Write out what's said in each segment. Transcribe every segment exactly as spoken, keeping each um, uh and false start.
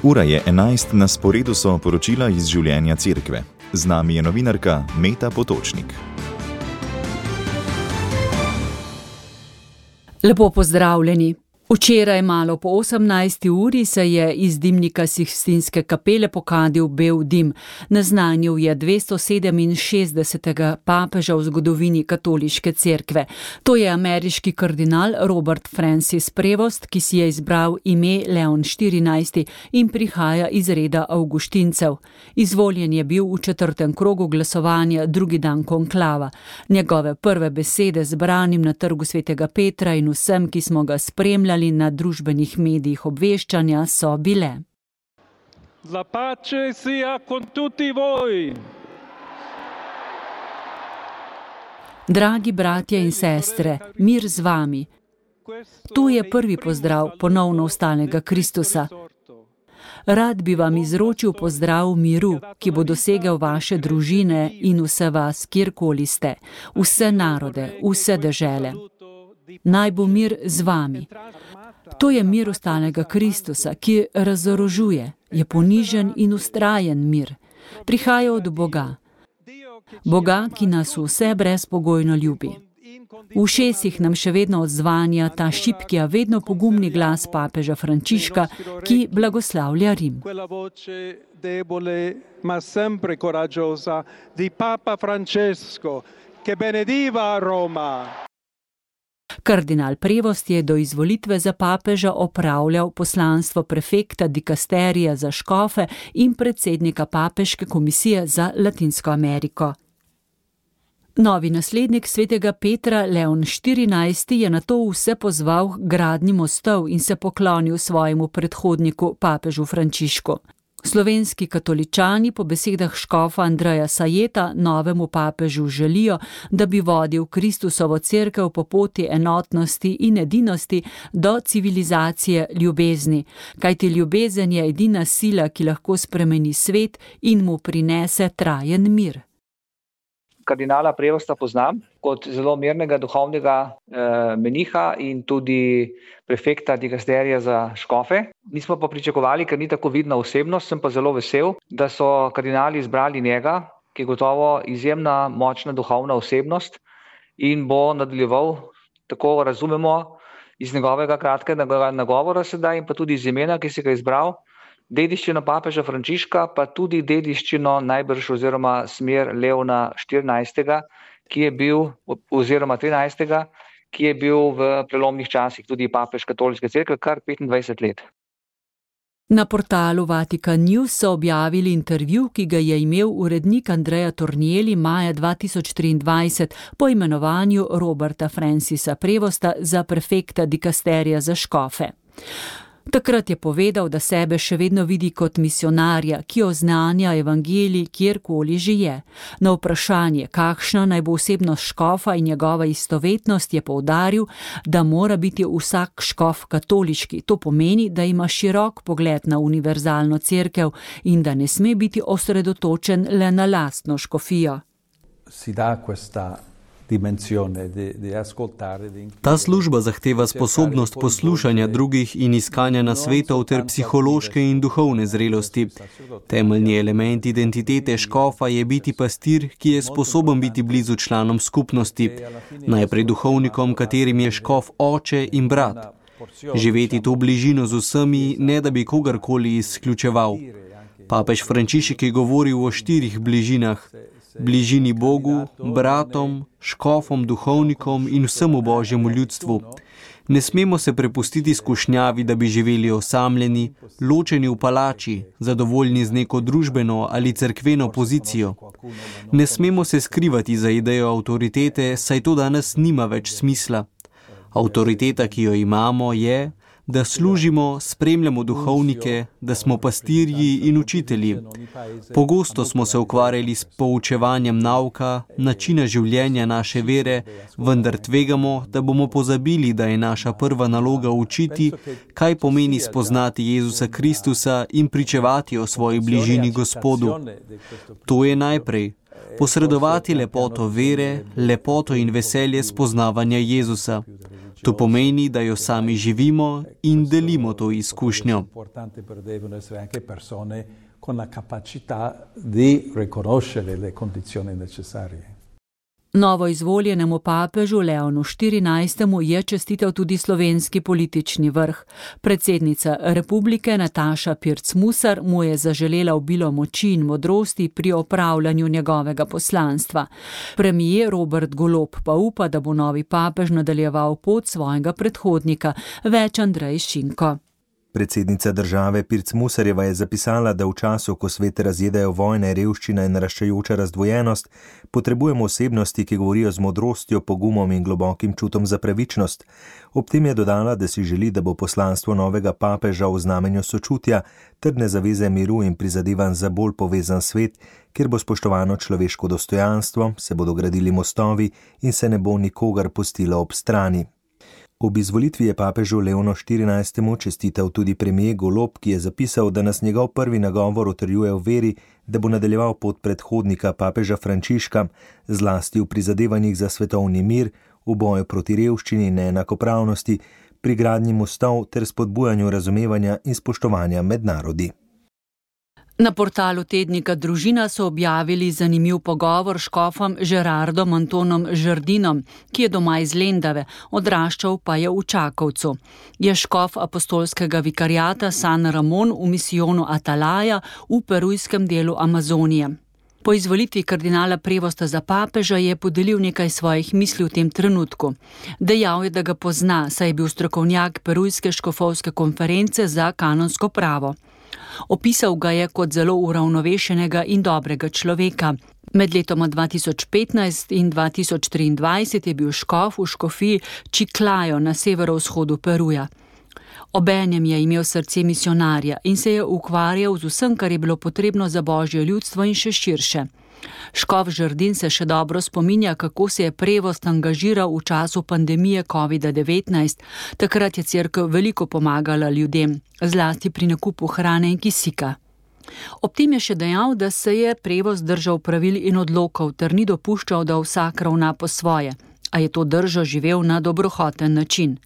Ura je enajst, na sporedu so poročila iz življenja cerkve. Z nami je novinarka Meta Potočnik. Lepo pozdravljeni. Včeraj malo po osemnajsti uri se je iz dimnika Sikstinske kapele pokadil bel dim. Naznanil je dvesto sedeminšestdesetega papeža v zgodovini katoliške cerkve. To je ameriški kardinal Robert Francis Prevost, ki si je izbral ime Leon štirinajsti in prihaja iz reda avguštincev. Izvoljen je bil v četrtem krogu glasovanja drugi dan konklava. Njegove prve besede zbranim na trgu svetega Petra in vsem, ki smo ga spremljali na družbenih medijih obveščanja, so bile: La pace sia con tutti voi. Dragi bratje in sestre, mir z vami. Tu je prvi pozdrav ponovno vstalnega Kristusa. Rad bi vam izročil pozdrav miru, ki bo dosegel vaše družine in vse vas, kjerkoli ste, vse narode, vse dežele. Naj bo mir z vami. To je mir vstalnega Kristusa, ki razorožuje, je ponižen in vztrajen mir. Prihaja od Boga. Boga, ki nas vse brezpogojno ljubi. V ušesih nam še vedno odzvanja ta šibki, a vedno pogumni glas papeža Frančiška, ki blagoslavlja Rim. Ma sempre coraggiosa di Papa Francesco, che benediva Roma. Kardinal Prevost je do izvolitve za papeža opravljal poslanstvo prefekta dikasterija za škofe in predsednika papeške komisije za Latinsko Ameriko. Novi naslednik svetega Petra, Leon štirinajsti, je nato vse pozval k gradnji mostov in se poklonil svojemu predhodniku, papežu Frančišku. Slovenski katoličani po besedah škofa Andreja Sajeta novemu papežu želijo, da bi vodil Kristusovo cerkev po poti enotnosti in edinosti do civilizacije ljubezni, kajti ljubezen je edina sila, ki lahko spremeni svet in mu prinese trajen mir. Kardinala Prevosta poznam kot zelo mirnega duhovnega eh, meniha in tudi prefekta dikasterija za škofe. Nismo pa pričakovali, ker ni tako vidna osebnost, sem pa zelo vesel, da so kardinali izbrali njega, ki je gotovo izjemna, močna duhovna osebnost in bo nadaljeval, tako razumemo, iz njegovega kratkega nagovora sedaj in pa tudi iz imena, ki si ga izbral, dediščino papeža Frančiška, pa tudi dediščino najbrž oziroma smer Leona štirinajstega, ki je bil, oziroma trinajstega, ki je bil v prelomnih časih tudi papež katoliške cerkve kar petindvajset let. Na portalu Vatikan News so objavili intervju, ki ga je imel urednik Andrea Tornielli maja dva tisoč triindvajset po imenovanju Roberta Francisa Prevosta za prefekta dikasterija za škofe. Takrat je povedal, da sebe še vedno vidi kot misionarja, ki oznanja evangelij kjerkoli že je. Na vprašanje, kakšna naj bo osebnost škofa in njegova istovetnost, je poudaril, da mora biti vsak škof katoliški. To pomeni, da ima širok pogled na univerzalno cerkev in da ne sme biti osredotočen le na lastno škofijo. Si da questa Ta služba zahteva sposobnost poslušanja drugih in iskanja nasvetov ter psihološke in duhovne zrelosti. Temeljni element identitete škofa je biti pastir, ki je sposoben biti blizu članom skupnosti, najprej duhovnikom, katerim je škof oče in brat. Živeti to bližino z vsemi, ne da bi kogarkoli izključeval. Papež Frančišek je govoril o štirih bližinah. Bližini Bogu, bratom, škofom, duhovnikom in vsemu Božjemu ljudstvu. Ne smemo se prepustiti skušnjavi, da bi živeli osamljeni, ločeni v palači, zadovoljni z neko družbeno ali cerkveno pozicijo. Ne smemo se skrivati za idejo avtoritete, saj to danes nima več smisla. Avtoriteta, ki jo imamo, je, da služimo, spremljamo duhovnike, da smo pastirji in učitelji. Pogosto smo se ukvarjali s poučevanjem nauka, načina življenja naše vere, vendar tvegamo, da bomo pozabili, da je naša prva naloga učiti, kaj pomeni spoznati Jezusa Kristusa in pričevati o svoji bližini Gospodu. To je najprej. Posredovati lepoto vere, lepoto in veselje spoznavanja Jezusa. To pomeni, da jo sami živimo in delimo to izkušnjo. Novo izvoljenemu papežu Leonu štirinajstemu je čestital tudi slovenski politični vrh. Predsednica republike Nataša Pirc Musar mu je zaželela obilo moči in modrosti pri opravljanju njegovega poslanstva. Premier Robert Golob pa upa, da bo novi papež nadaljeval pot svojega predhodnika, več Andrej Šinko. Predsednica države Pirc Musarjeva je zapisala, da v času, ko svet razjedajo vojne, revščina in naraščajoča razdvojenost, potrebujemo osebnosti, ki govorijo z modrostjo, pogumom in globokim čutom za pravičnost. Ob tem je dodala, da si želi, da bo poslanstvo novega papeža v znamenju sočutja, trdne zaveze miru in prizadevanj za bolj povezan svet, kjer bo spoštovano človeško dostojanstvo, se bodo gradili mostovi in se ne bo nikogar pustilo ob strani. Ob izvolitvi je papežu Leonu štirinajstemu čestital tudi premier Golob, ki je zapisal, da nas njegov prvi nagovor utrjuje v veri, da bo nadaljeval pot predhodnika papeža Frančiška, zlasti v prizadevanjih za svetovni mir, v boju proti revščini in neenakopravnosti, pri gradnji mostov ter spodbujanju razumevanja in spoštovanja med narodi. Na portalu tednika Družina so objavili zanimiv pogovor s škofom Žerardom Antonom Žardinom, ki je doma iz Lendave, odraščal pa je v Čakovcu. Je škof apostolskega vikariata San Ramon v misijonu Atalaja v perujskem delu Amazonije. Po izvolitvi kardinala Prevosta za papeža je podelil nekaj svojih misli v tem trenutku. Dejal je, da ga pozna, saj je bil strokovnjak Perujske škofovske konference za kanonsko pravo. Opisal ga je kot zelo uravnovešenega in dobrega človeka. Med letoma dva tisoč petnajst in dva tisoč triindvajset je bil škof v škofiji Chiclayo na severovzhodu Peruja. Obenem je imel srce misionarja in se je ukvarjal z vsem, kar je bilo potrebno za božje ljudstvo in še širše. Škof Žardin se še dobro spominja, kako se je Prevost angažiral v času pandemije kovida devetnajst. Takrat je cerkev veliko pomagala ljudem, zlasti pri nakupu hrane in kisika. Ob tem je še dejal, da se je Prevost držal pravil in odlokov ter ni dopuščal, da vsak ravna po svoje, a je to držo živel na dobrohoten način.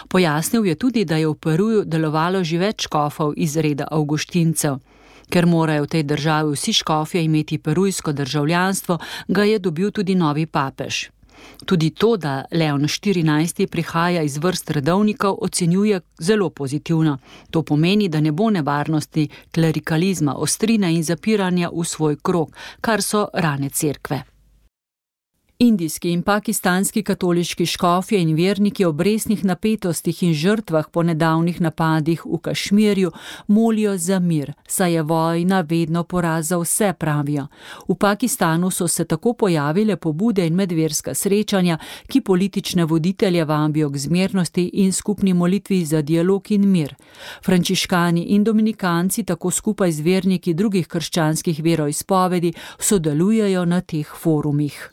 Pojasnil je tudi, da je v Peruju delovalo že več škofov iz reda avguštincev. Ker morajo v tej državi vsi škofje imeti perujsko državljanstvo, ga je dobil tudi novi papež. Tudi to, da Leon štirinajsti prihaja iz vrst redovnikov, ocenjuje zelo pozitivno. To pomeni, da ne bo nevarnosti klerikalizma, ostrine in zapiranja v svoj krog, kar so rane cerkve. Indijski in pakistanski katoliški škofje in verniki ob resnih napetostih in žrtvah po nedavnih napadih v Kašmirju molijo za mir, saj je vojna vedno poraz za vse, pravijo. V Pakistanu so se tako pojavile pobude in medverska srečanja, ki politične voditelje vabijo k zmernosti in skupni molitvi za dialog in mir. Frančiškani in dominikanci tako skupaj z verniki drugih krščanskih veroizpovedi sodelujejo na teh forumih.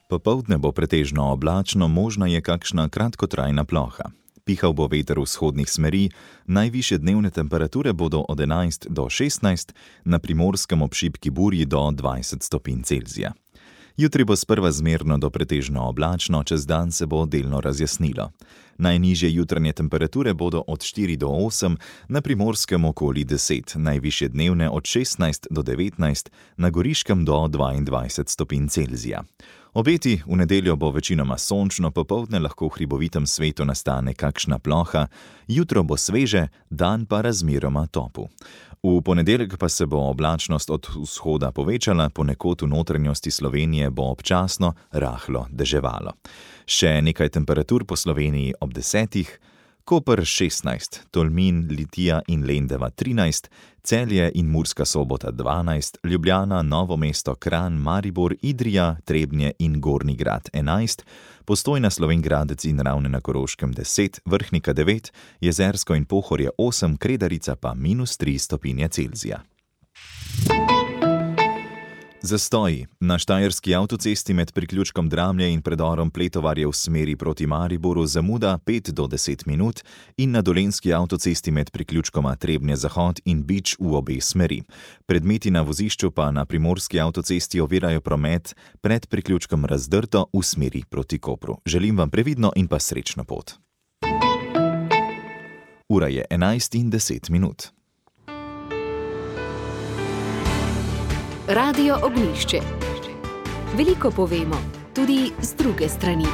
Popoldne bo pretežno oblačno, možna je kakšna kratkotrajna ploha. Pihal bo veter vzhodnih smeri, najvišje dnevne temperature bodo od enajst do šestnajst, na Primorskem ob šibki burji do dvajset stopinj Celzija. Jutri bo sprva zmerno do pretežno oblačno, čez dan se bo delno razjasnilo. Najnižje jutranje temperature bodo od štiri do osem, na Primorskem okoli deset, najvišje dnevne od šestnajst do devetnajst, na Goriškem do dvaindvajset stopinj Celzija. Obeti, v nedeljo bo večinoma sončno, popoldne lahko v hribovitem svetu nastane kakšna ploha, jutro bo sveže, dan pa razmeroma topu. V ponedeljek pa se bo oblačnost od vzhoda povečala, ponekod v notranjosti Slovenije bo občasno rahlo deževalo. Še nekaj temperatur po Sloveniji ob desetih, Koper šestnajst, Tolmin, Litija in Lendava trinajst, Celje in Murska Sobota dvanajst, Ljubljana, Novo mesto, Kranj, Maribor, Idrija, Trebnje in Gornji Grad enajst, Postojna, Slovenj Gradec in Ravne na Koroškem deset, Vrhnika devet, Jezersko in Pohorje osem, Kredarica pa minus tri stopinje Celzija. Zastoji. Na štajerski avtocesti med priključkom Dramlje in predorom Pletovarje v smeri proti Mariboru zamuda pet do deset minut in na dolenjski avtocesti med priključkoma Trebnje-Zahod in Bič v obe smeri. Predmeti na vozišču pa na primorski avtocesti ovirajo promet pred priključkom Razdrto v smeri proti Kopru. Želim vam previdno in pa srečno pot. Ura je enajst in deset minut. Radio Ognjišče. Veliko povemo, tudi z druge strani.